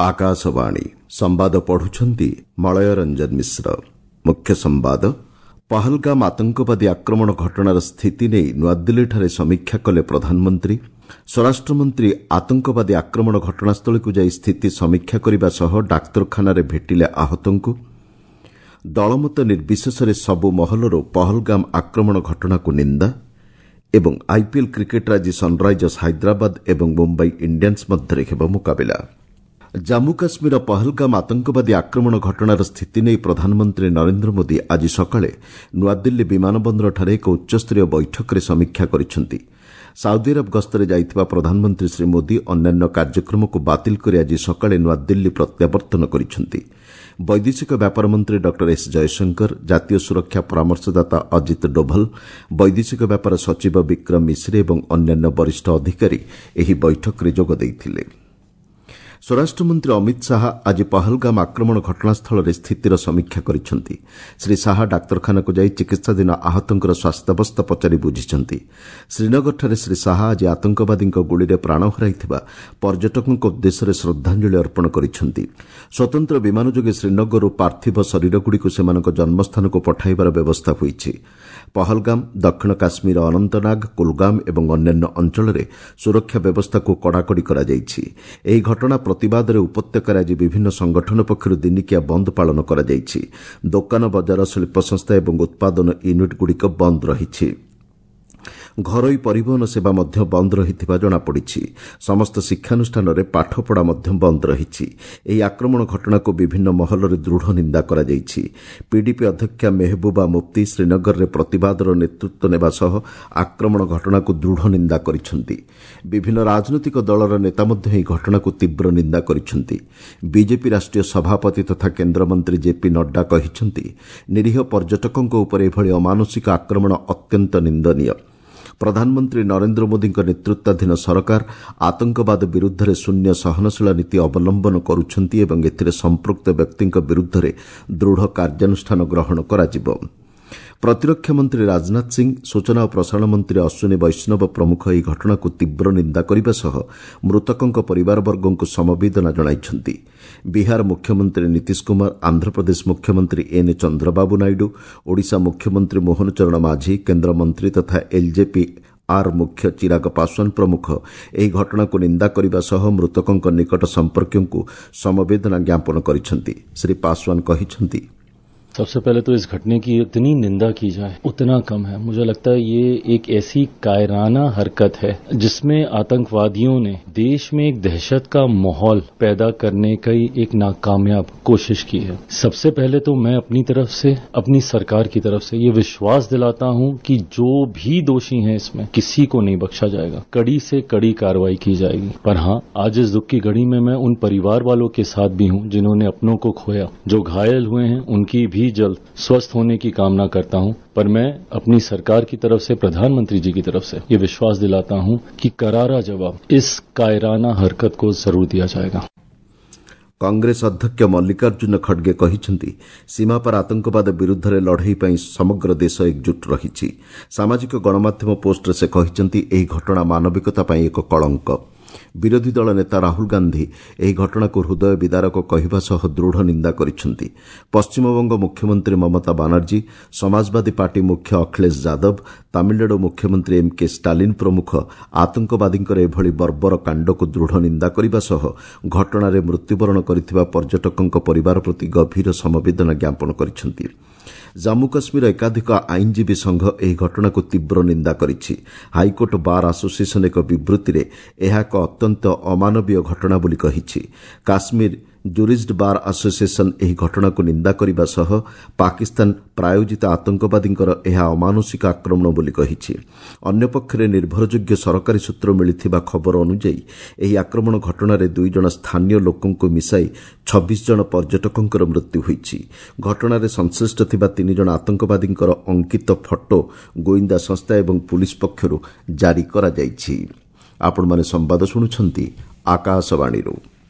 ଆକାଶବାଣୀ ସମ୍ବାଦ ପଢୁଛନ୍ତି ମଳୟ ରଞ୍ଜନ ମିଶ୍ର। ମୁଖ୍ୟ ସମ୍ବାଦ, ପହଲଗାମ ଆତଙ୍କବାଦୀ ଆକ୍ରମଣ ଘଟଣାର ସ୍ଥିତି ନେଇ ନୂଆଦିଲ୍ଲୀଠାରେ ସମୀକ୍ଷା କଲେ ପ୍ରଧାନମନ୍ତ୍ରୀ। ସ୍ୱରାଷ୍ଟ୍ରମନ୍ତ୍ରୀ ଆତଙ୍କବାଦୀ ଆକ୍ରମଣ ଘଟଣାସ୍ଥଳୀକୁ ଯାଇ ସ୍ଥିତି ସମୀକ୍ଷା କରିବା ସହ ଡାକ୍ତରଖାନାରେ ଭେଟିଲେ ଆହତଙ୍କୁ। ଦଳମତ ନିର୍ବିଶେଷରେ ସବୁ ମହଲରୁ ପହଲଗାମ ଆକ୍ରମଣ ଘଟଣାକୁ ନିନ୍ଦା ଏବଂ ଆଇପିଏଲ୍ କ୍ରିକେଟ୍ରେ ଆଜି ସନ୍ରାଇଜର୍ସ ହାଇଦ୍ରାବାଦ ଏବଂ ମୁମ୍ବାଇ ଇଣ୍ଡିଆନ୍ସ ମଧ୍ୟରେ ହେବ ମୁକାବିଲା। ଜାମ୍ମୁ କାଶ୍ମୀରର ପହଲଗାମ ଆତଙ୍କବାଦୀ ଆକ୍ରମଣ ଘଟଣାର ସ୍ଥିତି ନେଇ ପ୍ରଧାନମନ୍ତ୍ରୀ ନରେନ୍ଦ୍ର ମୋଦି ଆଜି ସକାଳେ ନୂଆଦିଲ୍ଲୀ ବିମାନ ବନ୍ଦରଠାରେ ଏକ ଉଚ୍ଚସ୍ତରୀୟ ବୈଠକରେ ସମୀକ୍ଷା କରିଛନ୍ତି। ସାଉଦି ଆରବ ଗସ୍ତରେ ଯାଇଥିବା ପ୍ରଧାନମନ୍ତ୍ରୀ ଶ୍ରୀ ମୋଦି ଅନ୍ୟାନ୍ୟ କାର୍ଯ୍ୟକ୍ରମକୁ ବାତିଲ କରି ଆଜି ସକାଳେ ନୂଆଦିଲ୍ଲୀ ପ୍ରତ୍ୟାବର୍ତ୍ତନ କରିଛନ୍ତି। ବୈଦେଶିକ ବ୍ୟାପାର ମନ୍ତ୍ରୀ ଡକ୍ଟର ଏସ୍ ଜୟଶଙ୍କର, ଜାତୀୟ ସୁରକ୍ଷା ପରାମର୍ଶଦାତା ଅଜିତ ଡୋଭଲ, ବୈଦେଶିକ ବ୍ୟାପାର ସଚିବ ବିକ୍ରମ ମିଶ୍ରି ଏବଂ ଅନ୍ୟାନ୍ୟ ବରିଷ୍ଠ ଅଧିକାରୀ ଏହି ବୈଠକରେ ଯୋଗ ଦେଇଥିଲେ। ସ୍ୱରାଷ୍ଟ୍ରମନ୍ତ୍ରୀ ଅମିତ ଶାହା ଆଜି ପହଲଗାମ ଆକ୍ରମଣ ଘଟଣାସ୍ଥଳରେ ସ୍ଥିତିର ସମୀକ୍ଷା କରିଛନ୍ତି। ଶ୍ରୀ ଶାହା ଡାକ୍ତରଖାନାକୁ ଯାଇ ଚିକିତ୍ସାଧୀନ ଆହତଙ୍କର ସ୍ୱାସ୍ଥ୍ୟାବସ୍ଥା ପଚାରି ବୁଝିଛନ୍ତି। ଶ୍ରୀନଗରଠାରେ ଶ୍ରୀ ଶାହା ଆଜି ଆତଙ୍କବାଦୀଙ୍କ ଗୁଳିରେ ପ୍ରାଣ ହରାଇଥିବା ପର୍ଯ୍ୟଟକଙ୍କ ଉଦ୍ଦେଶ୍ୟରେ ଶ୍ରଦ୍ଧାଞ୍ଜଳି ଅର୍ପଣ କରିଛନ୍ତି। ସ୍ୱତନ୍ତ୍ର ବିମାନ ଯୋଗେ ଶ୍ରୀନଗରରୁ ପାର୍ଥିବ ଶରୀରଗୁଡ଼ିକୁ ସେମାନଙ୍କ ଜନ୍ମସ୍ଥାନକୁ ପଠାଇବାର ବ୍ୟବସ୍ଥା ହୋଇଛି। ପହଲଗାମ, ଦକ୍ଷିଣ କାଶ୍ମୀର ଅନନ୍ତନାଗ, କୁଲଗାମ ଏବଂ ଅନ୍ୟାନ୍ୟ ଅଞ୍ଚଳରେ ସୁରକ୍ଷା ବ୍ୟବସ୍ଥାକୁ କଡ଼ାକଡ଼ି କରାଯାଇଛି। ଏହି ଘଟଣା ପ୍ରତିବାଦରେ ଉପତ୍ୟକାରେ ଆଜି ବିଭିନ୍ନ ସଂଗଠନ ପକ୍ଷରୁ ଦିନିକିଆ ବନ୍ଦ ପାଳନ କରାଯାଇଛି। ଦୋକାନ ବଜାର, ଶିଳ୍ପସଂସ୍ଥା ଏବଂ ଉତ୍ପାଦନ ୟୁନିଟ୍ଗୁଡ଼ିକ ବନ୍ଦ ରହିଛି। ଘରୋଇ ପରିବହନ ସେବା ମଧ୍ୟ ବନ୍ଦ ରହିଥିବା ଜଣାପଡ଼ିଛି। ସମସ୍ତ ଶିକ୍ଷାନୁଷ୍ଠାନରେ ପାଠପଢ଼ା ମଧ୍ୟ ବନ୍ଦ ରହିଛି। ଏହି ଆକ୍ରମଣ ଘଟଣାକୁ ବିଭିନ୍ନ ମହଲରେ ଦୃଢ଼ ନିନ୍ଦା କରାଯାଇଛି। ପିଡିପି ଅଧ୍ୟକ୍ଷା ମେହବୁବା ମୁଫ୍ତି ଶ୍ରୀନଗରରେ ପ୍ରତିବାଦର ନେତୃତ୍ୱ ନେବା ସହ ଆକ୍ରମଣ ଘଟଣାକୁ ଦୃଢ଼ ନିନ୍ଦା କରିଛନ୍ତି। ବିଭିନ୍ନ ରାଜନୈତିକ ଦଳର ନେତା ମଧ୍ୟ ଏହି ଘଟଣାକୁ ତୀବ୍ର ନିନ୍ଦା କରିଛନ୍ତି। ବିଜେପି ରାଷ୍ଟ୍ରୀୟ ସଭାପତି ତଥା କେନ୍ଦ୍ରମନ୍ତ୍ରୀ ଜେପି ନଡ୍ଡା କହିଛନ୍ତି, ନିରୀହ ପର୍ଯ୍ୟଟକଙ୍କ ଉପରେ ଏଭଳି ଅମାନୁଷିକ ଆକ୍ରମଣ ଅତ୍ୟନ୍ତ ନିନ୍ଦନୀୟ। ପ୍ରଧାନମନ୍ତ୍ରୀ ନରେନ୍ଦ୍ର ମୋଦିଙ୍କ ନେତୃତ୍ୱାଧୀନ ସରକାର ଆତଙ୍କବାଦ ବିରୁଦ୍ଧରେ ଶୂନ୍ୟ ସହନଶୀଳ ନୀତି ଅବଲମ୍ବନ କରୁଛନ୍ତି ଏବଂ ଏଥିରେ ସମ୍ପୃକ୍ତ ବ୍ୟକ୍ତିଙ୍କ ବିରୁଦ୍ଧରେ ଦୃଢ଼ କାର୍ଯ୍ୟାନୁଷ୍ଠାନ ଗ୍ରହଣ କରାଯିବ। ପ୍ରତିରକ୍ଷା ମନ୍ତ୍ରୀ ରାଜନାଥ ସିଂ, ସୂଚନା ଓ ପ୍ରସାରଣ ମନ୍ତ୍ରୀ ଅଶ୍ୱିନୀ ବୈଷ୍ଣବ ପ୍ରମୁଖ ଏହି ଘଟଣାକୁ ତୀବ୍ର ନିନ୍ଦା କରିବା ସହ ମୃତକଙ୍କ ପରିବାରବର୍ଗଙ୍କୁ ସମବେଦନା ଜଣାଇଛନ୍ତି। ବିହାର ମୁଖ୍ୟମନ୍ତ୍ରୀ ନୀତିଶ କୁମାର, ଆନ୍ଧ୍ରପ୍ରଦେଶ ମୁଖ୍ୟମନ୍ତ୍ରୀ ଏନ୍ ଚନ୍ଦ୍ରବାବୁ ନାଇଡୁ, ଓଡ଼ିଶା ମୁଖ୍ୟମନ୍ତ୍ରୀ ମୋହନ ଚରଣ ମାଝୀ, କେନ୍ଦ୍ରମନ୍ତ୍ରୀ ତଥା ଏଲ୍ଜେପି ଆର୍ ମୁଖ୍ୟ ଚିରାଗ ପାଶୱାନ ପ୍ରମୁଖ ଏହି ଘଟଣାକୁ ନିନ୍ଦା କରିବା ସହ ମୃତକଙ୍କ ନିକଟ ସମ୍ପର୍କୀୟଙ୍କୁ ସମବେଦନା ଜ୍ଞାପନ କରିଛନ୍ତି। ଶ୍ରୀ ପାଶୱାନ କହିଛନ୍ତି, सबसे पहले तो इस घटने की इतनी निंदा की जाए उतना कम है। मुझे लगता है ये एक ऐसी कायराना हरकत है जिसमें आतंकवादियों ने देश में एक दहशत का माहौल पैदा करने की एक नाकामयाब कोशिश की है। सबसे पहले तो मैं अपनी तरफ से, अपनी सरकार की तरफ से ये विश्वास दिलाता हूं कि जो भी दोषी हैं इसमें किसी को नहीं बख्शा जाएगा, कड़ी से कड़ी कार्रवाई की जाएगी। पर हां, आज इस दुख की घड़ी में मैं उन परिवार वालों के साथ भी हूं जिन्होंने अपनों को खोया, जो घायल हुए हैं उनकी भी जल्द स्वस्थ होने की कामना करता हूं। पर मैं अपनी सरकार की तरफ से, प्रधानमंत्री जी की तरफ से ये विश्वास दिलाता हूं कि करारा जवाब इस कायराना हरकत को जरूर दिया जाएगा। କଂଗ୍ରେସ ଅଧ୍ୟକ୍ଷ ମଲ୍ଲିକାର୍ଜୁନ ଖଡ୍ଗେ କହିଛନ୍ତି, ସୀମାପାର ଆତଙ୍କବାଦ ବିରୁଦ୍ଧରେ ଲଢ଼େଇ ପାଇଁ ସମଗ୍ର ଦେଶ ଏକଜୁଟ ରହିଛି। ସାମାଜିକ ଗଣମାଧ୍ୟମ ପୋଷ୍ଟରେ ସେ କହିଛନ୍ତି, ଏହି ଘଟଣା ମାନବିକତା ପାଇଁ ଏକ କଳଙ୍କ। ବିରୋଧୀ ଦଳ ନେତା ରାହୁଲ ଗାନ୍ଧି ଏହି ଘଟଣାକୁ ହୃଦୟ ବିଦାରକ କହିବା ସହ ଦୃଢ଼ ନିନ୍ଦା କରିଛନ୍ତି। ପଶ୍ଚିମବଙ୍ଗ ମୁଖ୍ୟମନ୍ତ୍ରୀ ମମତା ବାନାର୍ଜୀ, ସମାଜବାଦୀ ପାର୍ଟି ମୁଖ୍ୟ ଅଖିଳେଶ ଯାଦବ, ତାମିଲନାଡୁ ମୁଖ୍ୟମନ୍ତ୍ରୀ ଏମ୍ କେ ଷ୍ଟାଲିନ୍ ପ୍ରମୁଖ ଆତଙ୍କବାଦୀଙ୍କର ଏଭଳି ବର୍ବର କାଣ୍ଡକୁ ଦୃଢ଼ ନିନ୍ଦା କରିବା ସହ ଘଟଣାରେ ମୃତ୍ୟୁବରଣ କରିଥିବା ପର୍ଯ୍ୟଟକଙ୍କ ପରିବାର ପ୍ରତି ଗଭୀର ସମବେଦନା ଜ୍ଞାପନ କରିଛନ୍ତି। ଜାମ୍ମୁ କାଶ୍ମୀର ଏକାଧିକ ଆଇନଜୀବୀ ସଂଘ ଏହି ଘଟଣାକୁ ତୀବ୍ର ନିନ୍ଦା କରିଛି। ହାଇକୋର୍ଟ ବାର୍ ଆସୋସିଏସନ୍ ଏକ ବିବୃତ୍ତିରେ ଏହା ଏକ ଅତ୍ୟନ୍ତ ଅମାନବୀୟ ଘଟଣା ବୋଲି କହିଛି। କାଶ୍ମୀର ଜୁରିଷ୍ଟ ବାର୍ ଆସୋସିଏସନ୍ ଏହି ଘଟଣାକୁ ନିନ୍ଦା କରିବା ସହ ପାକିସ୍ତାନ ପ୍ରାୟୋଜିତ ଆତଙ୍କବାଦୀଙ୍କର ଏହା ଅମାନୁଷିକ ଆକ୍ରମଣ ବୋଲି କହିଛି। ଅନ୍ୟପକ୍ଷରେ ନିର୍ଭରଯୋଗ୍ୟ ସରକାରୀ ସୂତ୍ରରୁ ମିଳିଥିବା ଖବର ଅନୁଯାୟୀ ଏହି ଆକ୍ରମଣ ଘଟଣାରେ 2 ଜଣ ସ୍ଥାନୀୟ ଲୋକଙ୍କୁ ମିଶାଇ 26 ଜଣ ପର୍ଯ୍ୟଟକଙ୍କର ମୃତ୍ୟୁ ହୋଇଛି। ଘଟଣାରେ ସଂଶ୍ଳିଷ୍ଟ ଥିବା 3 ଜଣ ଆତଙ୍କବାଦୀଙ୍କର ଅଙ୍କିତ ଫଟୋ ଗୋଇନ୍ଦା ସଂସ୍ଥା ଏବଂ ପୁଲିସ୍ ପକ୍ଷରୁ ଜାରି କରାଯାଇଛି। ଆପଣମାନେ ସମ୍ବାଦ ଶୁଣୁଛନ୍ତି ଆକାଶବାଣୀରୁ।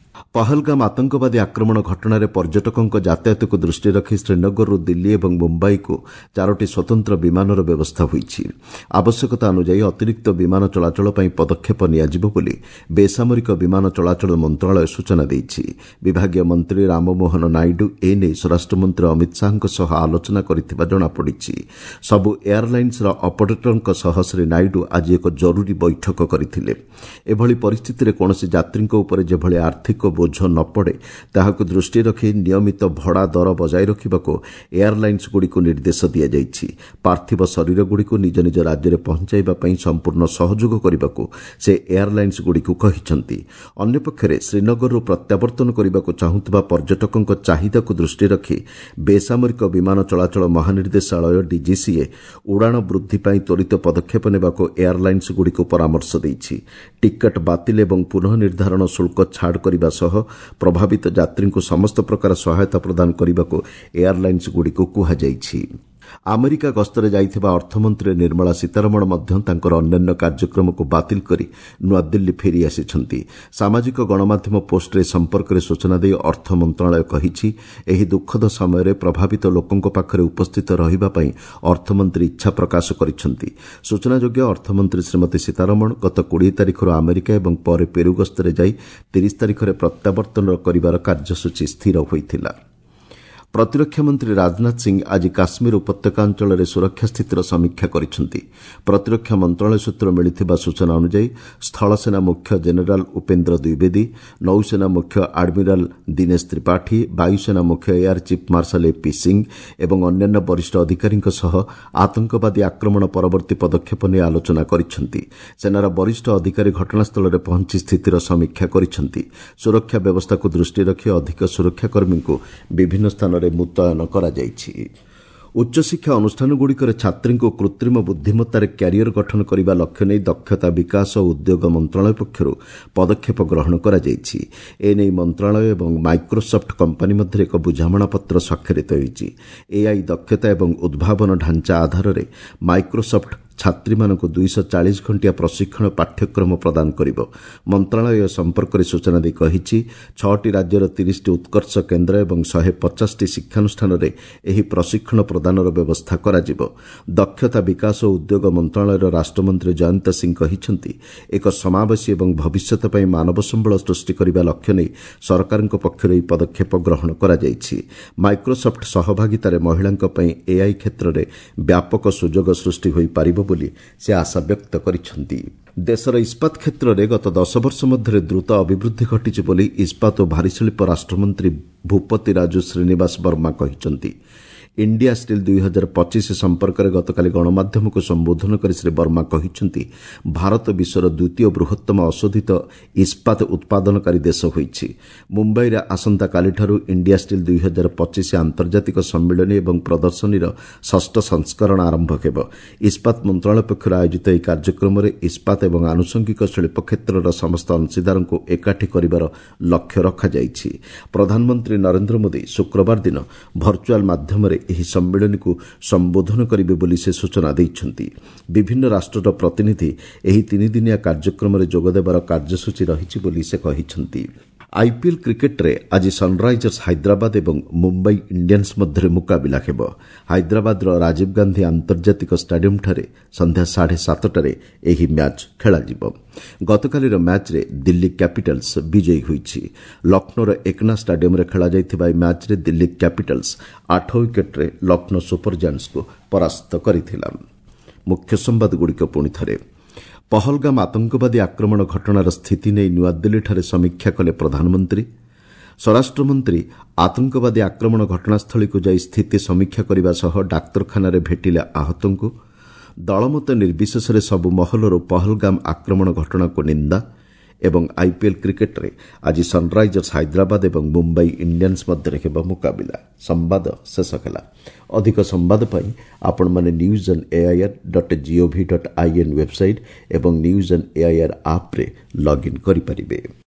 ପହଲଗାମ ଆତଙ୍କବାଦୀ ଆକ୍ରମଣ ଘଟଣାରେ ପର୍ଯ୍ୟଟକଙ୍କ ଯାତାୟାତକୁ ଦୃଷ୍ଟିରେ ରଖି ଶ୍ରୀନଗରରୁ ଦିଲ୍ଲୀ ଏବଂ ମୁମ୍ବାଇକୁ 4ଟି ସ୍ୱତନ୍ତ୍ର ବିମାନର ବ୍ୟବସ୍ଥା ହୋଇଛି। ଆବଶ୍ୟକତା ଅନୁଯାୟୀ ଅତିରିକ୍ତ ବିମାନ ଚଳାଚଳ ପାଇଁ ପଦକ୍ଷେପ ନିଆଯିବ ବୋଲି ବେସାମରିକ ବିମାନ ଚଳାଚଳ ମନ୍ତ୍ରଣାଳୟ ସୂଚନା ଦେଇଛି। ବିଭାଗୀୟ ମନ୍ତ୍ରୀ ରାମମୋହନ ନାଇଡୁ ଏ ନେଇ ସ୍ୱରାଷ୍ଟ୍ରମନ୍ତ୍ରୀ ଅମିତ ଶାହାଙ୍କ ସହ ଆଲୋଚନା କରିଥିବା ଜଣାପଡ଼ିଛି। ସବୁ ଏୟାରଲାଇନ୍ସର ଅପରେଟରଙ୍କ ସହ ଶ୍ରୀ ନାଇଡୁ ଆଜି ଏକ ଜରୁରୀ ବୈଠକ କରିଥିଲେ। ଏଭଳି ପରିସ୍ଥିତିରେ କୌଣସି ଯାତ୍ରୀଙ୍କ ଉପରେ ଯେଭଳି ଆର୍ଥିକ ବୋଝ ନ ପଡ଼େ ତାହାକୁ ଦୃଷ୍ଟିରେ ରଖି ନିୟମିତ ଭଡ଼ା ଦର ବଜାୟ ରଖିବାକୁ ଏୟାରଲାଇନ୍ସଗୁଡ଼ିକୁ ନିର୍ଦ୍ଦେଶ ଦିଆଯାଇଛି। ପାର୍ଥିବ ଶରୀରଗୁଡ଼ିକୁ ନିଜ ନିଜ ରାଜ୍ୟରେ ପହଞ୍ଚାଇବା ପାଇଁ ସମ୍ପୂର୍ଣ୍ଣ ସହଯୋଗ କରିବାକୁ ସେ ଏୟାରଲାଇନ୍ସଗୁଡ଼ିକୁ କହିଛନ୍ତି। ଅନ୍ୟପକ୍ଷରେ ଶ୍ରୀନଗରରୁ ପ୍ରତ୍ୟାବର୍ତ୍ତନ କରିବାକୁ ଚାହୁଁଥିବା ପର୍ଯ୍ୟଟକଙ୍କ ଚାହିଦାକୁ ଦୃଷ୍ଟିରେ ରଖି ବେସାମରିକ ବିମାନ ଚଳାଚଳ ମହାନିର୍ଦ୍ଦେଶାଳୟ ଡିଜିସିଏ ଉଡ଼ାଣ ବୃଦ୍ଧି ପାଇଁ ତ୍ୱରିତ ପଦକ୍ଷେପ ନେବାକୁ ଏୟାରଲାଇନ୍ସଗୁଡ଼ିକୁ ପରାମର୍ଶ ଦେଇଛି। ଟିକଟ ବାତିଲ ଏବଂ ପୁନଃ ନିର୍ଦ୍ଧାରଣ ଶୁଳ୍କ ଛାଡ଼ କରିବା ସହ ପ୍ରଭାବିତ ଯାତ୍ରୀଙ୍କୁ ସମସ୍ତ ପ୍ରକାର ସହାୟତା ପ୍ରଦାନ କରିବାକୁ ଏୟାରଲାଇନ୍ସଗୁଡ଼ିକୁ କୁହାଯାଇଛି। ଆମେରିକା ଗସ୍ତରେ ଯାଇଥିବା ଅର୍ଥମନ୍ତ୍ରୀ ନିର୍ମଳା ସୀତାରମଣ ମଧ୍ୟ ତାଙ୍କର ଅନ୍ୟାନ୍ୟ କାର୍ଯ୍ୟକ୍ରମକୁ ବାତିଲ କରି ନୂଆଦିଲ୍ଲୀ ଫେରିଆସିଛନ୍ତି। ସାମାଜିକ ଗଣମାଧ୍ୟମ ପୋଷ୍ଟରେ ଏ ସମ୍ପର୍କରେ ସୂଚନା ଦେଇ ଅର୍ଥ ମନ୍ତ୍ରଣାଳୟ କହିଛି, ଏହି ଦୁଃଖଦ ସମୟରେ ପ୍ରଭାବିତ ଲୋକଙ୍କ ପାଖରେ ଉପସ୍ଥିତ ରହିବା ପାଇଁ ଅର୍ଥମନ୍ତ୍ରୀ ଇଚ୍ଛା ପ୍ରକାଶ କରିଛନ୍ତି। ସୂଚନାଯୋଗ୍ୟ, ଅର୍ଥମନ୍ତ୍ରୀ ଶ୍ରୀମତୀ ସୀତାରମଣ ଗତ 20 ତାରିଖରୁ ଆମେରିକା ଏବଂ ପରେ ପେରୁ ଗସ୍ତରେ ଯାଇ 30 ତାରିଖରେ ପ୍ରତ୍ୟାବର୍ତ୍ତନ କରିବାର କାର୍ଯ୍ୟସୂଚୀ ସ୍ଥିର ହୋଇଥିଲା। ପ୍ରତିରକ୍ଷା ମନ୍ତ୍ରୀ ରାଜନାଥ ସିଂ ଆଜି କାଶ୍ମୀର ଉପତ୍ୟକା ଅଞ୍ଚଳରେ ସୁରକ୍ଷା ସ୍ଥିତିର ସମୀକ୍ଷା କରିଛନ୍ତି। ପ୍ରତିରକ୍ଷା ମନ୍ତ୍ରଣାଳୟ ସୂତ୍ରରୁ ମିଳିଥିବା ସୂଚନା ଅନୁଯାୟୀ ସ୍ଥଳସେନା ମୁଖ୍ୟ ଜେନେରାଲ ଉପେନ୍ଦ୍ର ଦ୍ୱିବେଦୀ, ନୌସେନା ମୁଖ୍ୟ ଆଡମିରାଲ ଦିନେଶ ତ୍ରିପାଠୀ, ବାୟୁସେନା ମୁଖ୍ୟ air chief marshal AP Singh ଏବଂ ଅନ୍ୟାନ୍ୟ ବରିଷ୍ଠ ଅଧିକାରୀଙ୍କ ସହ ଆତଙ୍କବାଦୀ ଆକ୍ରମଣ ପରବର୍ତ୍ତୀ ପଦକ୍ଷେପ ନେଇ ଆଲୋଚନା କରିଛନ୍ତି। ସେନାର ବରିଷ୍ଠ ଅଧିକାରୀ ଘଟଣାସ୍ଥଳରେ ପହଞ୍ଚି ସ୍ଥିତିର ସମୀକ୍ଷା କରିଛନ୍ତି। ସୁରକ୍ଷା ବ୍ୟବସ୍ଥାକୁ ଦୃଷ୍ଟିରେ ରଖି ଅଧିକ ସୁରକ୍ଷାକର୍ମୀଙ୍କୁ ବିଭିନ୍ନ ସ୍ଥାନରେ ମୁତୟନ କରାଯାଇଛି। ଉଚ୍ଚଶିକ୍ଷା ଅନୁଷ୍ଠାନଗୁଡ଼ିକରେ ଛାତ୍ରୀଙ୍କୁ କୃତ୍ରିମ ବୁଦ୍ଧିମତ୍ତାରେ କ୍ୟାରିୟର ଗଠନ କରିବା ଲକ୍ଷ୍ୟ ନେଇ ଦକ୍ଷତା ବିକାଶ ଓ ଉଦ୍ୟୋଗ ମନ୍ତ୍ରଣାଳୟ ପକ୍ଷରୁ ପଦକ୍ଷେପ ଗ୍ରହଣ କରାଯାଇଛି। ଏନେଇ ମନ୍ତ୍ରଣାଳୟ ଏବଂ ମାଇକ୍ରୋସଫ୍ଟ କମ୍ପାନୀ ମଧ୍ୟରେ ଏକ ବୁଝାମଣାପତ୍ର ସ୍ୱାକ୍ଷରିତ ହୋଇଛି। ଏଆଇ ଦକ୍ଷତା ଏବଂ ଉଦ୍ଭାବନ ଢାଞ୍ଚା ଆଧାରରେ ମାଇକ୍ରୋସଫ୍ଟ ଛାତ୍ରୀମାନଙ୍କୁ 240 ଘଣ୍ଟିଆ ପ୍ରଶିକ୍ଷଣ ପାଠ୍ୟକ୍ରମ ପ୍ରଦାନ କରିବ। ମନ୍ତ୍ରଣାଳୟ ଏ ସମ୍ପର୍କରେ ସୂଚନା ଦେଇ କହିଛି, 6ଟି ରାଜ୍ୟର 30ଟି ଉତ୍କର୍ଷ କେନ୍ଦ୍ର ଏବଂ 150ଟି ଶିକ୍ଷାନୁଷ୍ଠାନରେ ଏହି ପ୍ରଶିକ୍ଷଣ ପ୍ରଦାନର ବ୍ୟବସ୍ଥା କରାଯିବ। ଦକ୍ଷତା ବିକାଶ ଓ ଉଦ୍ୟୋଗ ମନ୍ତ୍ରଣାଳୟର ରାଷ୍ଟ୍ରମନ୍ତ୍ରୀ ଜୟନ୍ତ ସିଂ କହିଛନ୍ତି, ଏକ ସମାବେଶୀ ଏବଂ ଭବିଷ୍ୟତ ପାଇଁ ମାନବ ସମ୍ବଳ ସୃଷ୍ଟି କରିବା ଲକ୍ଷ୍ୟ ନେଇ ସରକାରଙ୍କ ପକ୍ଷରୁ ଏହି ପଦକ୍ଷେପ ଗ୍ରହଣ କରାଯାଇଛି। ମାଇକ୍ରୋସଫ୍ଟ ସହଭାଗିତାରେ ମହିଳାଙ୍କ ପାଇଁ ଏଆଇ କ୍ଷେତ୍ରରେ ବ୍ୟାପକ ସୁଯୋଗ ସୃଷ୍ଟି ହୋଇପାରିବ ବୋଲି ସେ ଆଶା ବ୍ୟକ୍ତ କରିଛନ୍ତି। ଦେଶର ଇସ୍ପାତ କ୍ଷେତ୍ରରେ ଗତ 10 ବର୍ଷ ମଧ୍ୟରେ ଦ୍ରୁତ ଅଭିବୃଦ୍ଧି ଘଟିଛି ବୋଲି ଇସ୍ପାତ ଓ ଭାରୀଶିଳ୍ପ ରାଷ୍ଟ୍ରମନ୍ତ୍ରୀ ଭୂପତି ରାଜୁ ଶ୍ରୀନିବାସ ବର୍ମା କହିଛନ୍ତି। ଇଣ୍ଡିଆ ଷ୍ଟିଲ୍ 2025 ସମ୍ପର୍କରେ ଗତକାଲି ଗଣମାଧ୍ୟମକୁ ସମ୍ବୋଧନ କରି ଶ୍ରୀ ବର୍ମା କହିଛନ୍ତି, ଭାରତ ବିଶ୍ୱର ଦ୍ୱିତୀୟ ବୃହତ୍ତମ ଅଶୋଧିତ ଇସ୍ପାତ ଉତ୍ପାଦନକାରୀ ଦେଶ ହୋଇଛି। ମୁମ୍ବାଇରେ ଆସନ୍ତାକାଲିଠାରୁ ଇଣ୍ଡିଆ ଷ୍ଟିଲ୍ 2025 ଆନ୍ତର୍ଜାତିକ ସମ୍ମିଳନୀ ଏବଂ ପ୍ରଦର୍ଶନୀର 6ଷ୍ଠ ସଂସ୍କରଣ ଆରମ୍ଭ ହେବ। ଇସ୍ପାତ ମନ୍ତ୍ରଣାଳୟ ପକ୍ଷରୁ ଆୟୋଜିତ ଏହି କାର୍ଯ୍ୟକ୍ରମରେ ଇସ୍ପାତ ଏବଂ ଆନୁଷଙ୍ଗିକ ଶିଳ୍ପ କ୍ଷେତ୍ରର ସମସ୍ତ ଅଂଶୀଦାରଙ୍କୁ ଏକାଠି କରିବାର ଲକ୍ଷ୍ୟ ରଖାଯାଇଛି। ପ୍ରଧାନମନ୍ତ୍ରୀ ନରେନ୍ଦ୍ର ମୋଦି ଶୁକ୍ରବାର ଦିନ ଭର୍ଚୁଆଲ ମାଧ୍ୟମରେ ଏହି ସମ୍ମିଳନୀକୁ ସମ୍ବୋଧନ କରିବେ ବୋଲି ସେ ସୂଚନା ଦେଇଛନ୍ତି। ବିଭିନ୍ନ ରାଷ୍ଟ୍ରର ପ୍ରତିନିଧି ଏହି 3 ଦିନିଆ କାର୍ଯ୍ୟକ୍ରମରେ ଯୋଗଦେବାର କାର୍ଯ୍ୟସୂଚୀ ରହିଛି ବୋଲି ସେ କହିଛନ୍ତି। ଆଇପିଏଲ୍ କ୍ରିକେଟ୍ରେ ଆଜି ସନ୍ରାଇଜର୍ସ ହାଇଦ୍ରାବାଦ ଏବଂ ମୁମ୍ବାଇ ଇଣ୍ଡିଆନ୍ସ ମଧ୍ୟରେ ମୁକାବିଲା ହେବ। ହାଇଦ୍ରାବାଦର ରାଜୀବ ଗାନ୍ଧୀ ଆନ୍ତର୍ଜାତିକ ଷ୍ଟାଡିୟମ୍ଠାରେ ସନ୍ଧ୍ୟା 7:30ଟାରେ ଏହି ମ୍ୟାଚ୍ ଖେଳାଯିବ। ଗତକାଲିର ମ୍ୟାଚ୍ରେ ଦିଲ୍ଲୀ କ୍ୟାପିଟାଲ୍ସ ବିଜୟୀ ହୋଇଛି। ଲକ୍ଷ୍ନୌର ଏକନା ଷ୍ଟାଡିୟମ୍ରେ ଖେଳାଯାଇଥିବା ଏହି ମ୍ୟାଚ୍ରେ ଦିଲ୍ଲୀ କ୍ୟାପିଟାଲ୍ସ 8 ୱିକେଟ୍ରେ ଲକ୍ଷ୍ନୌ ସୁପର ଜାଏଣ୍ଟସ୍କୁ ପରାସ୍ତ କରିଥିଲା। ମୁଖ୍ୟ ସମ୍ବାଦଗୁଡ଼ିକ ପୁଣି ଥରେ। ପହଲଗାମ ଆତଙ୍କବାଦୀ ଆକ୍ରମଣ ଘଟଣାର ସ୍ଥିତି ନେଇ ନୂଆଦିଲ୍ଲୀଠାରେ ସମୀକ୍ଷା କଲେ ପ୍ରଧାନମନ୍ତ୍ରୀ। ସ୍ୱରାଷ୍ଟ୍ରମନ୍ତ୍ରୀ ଆତଙ୍କବାଦୀ ଆକ୍ରମଣ ଘଟଣାସ୍ଥଳୀକୁ ଯାଇ ସ୍ଥିତି ସମୀକ୍ଷା କରିବା ସହ ଡାକ୍ତରଖାନାରେ ଭେଟିଲେ ଆହତଙ୍କୁ। ଦଳମତ ନିର୍ବିଶେଷରେ ସବୁ ମହଲରୁ ପହଲଗାମ ଆକ୍ରମଣ ଘଟଣାକୁ ନିନ୍ଦା। ଏବଂ ଆଇପିଏଲ୍ କ୍ରିକେଟ୍ରେ ଆଜି ସନ୍ରାଇଜର୍ସ ହାଇଦ୍ରାବାଦ ଏବଂ ମୁମ୍ବାଇ ଇଣ୍ଡିଆନ୍ସ ମଧ୍ୟରେ ହେବ ମୁକାବିଲା। ସମ୍ବାଦ ଶେଷ ହେଲା। ଅଧିକ ସମ୍ବାଦ ପାଇଁ ଆପଣମାନେ news on AIR dot gov dot in website ଏବଂ ନ୍ୟୁଜ୍ ଅନ୍ ଏଆଇଆର୍ ଆପ୍ରେ ଲଗ୍ଇନ୍ କରିପାରିବେ।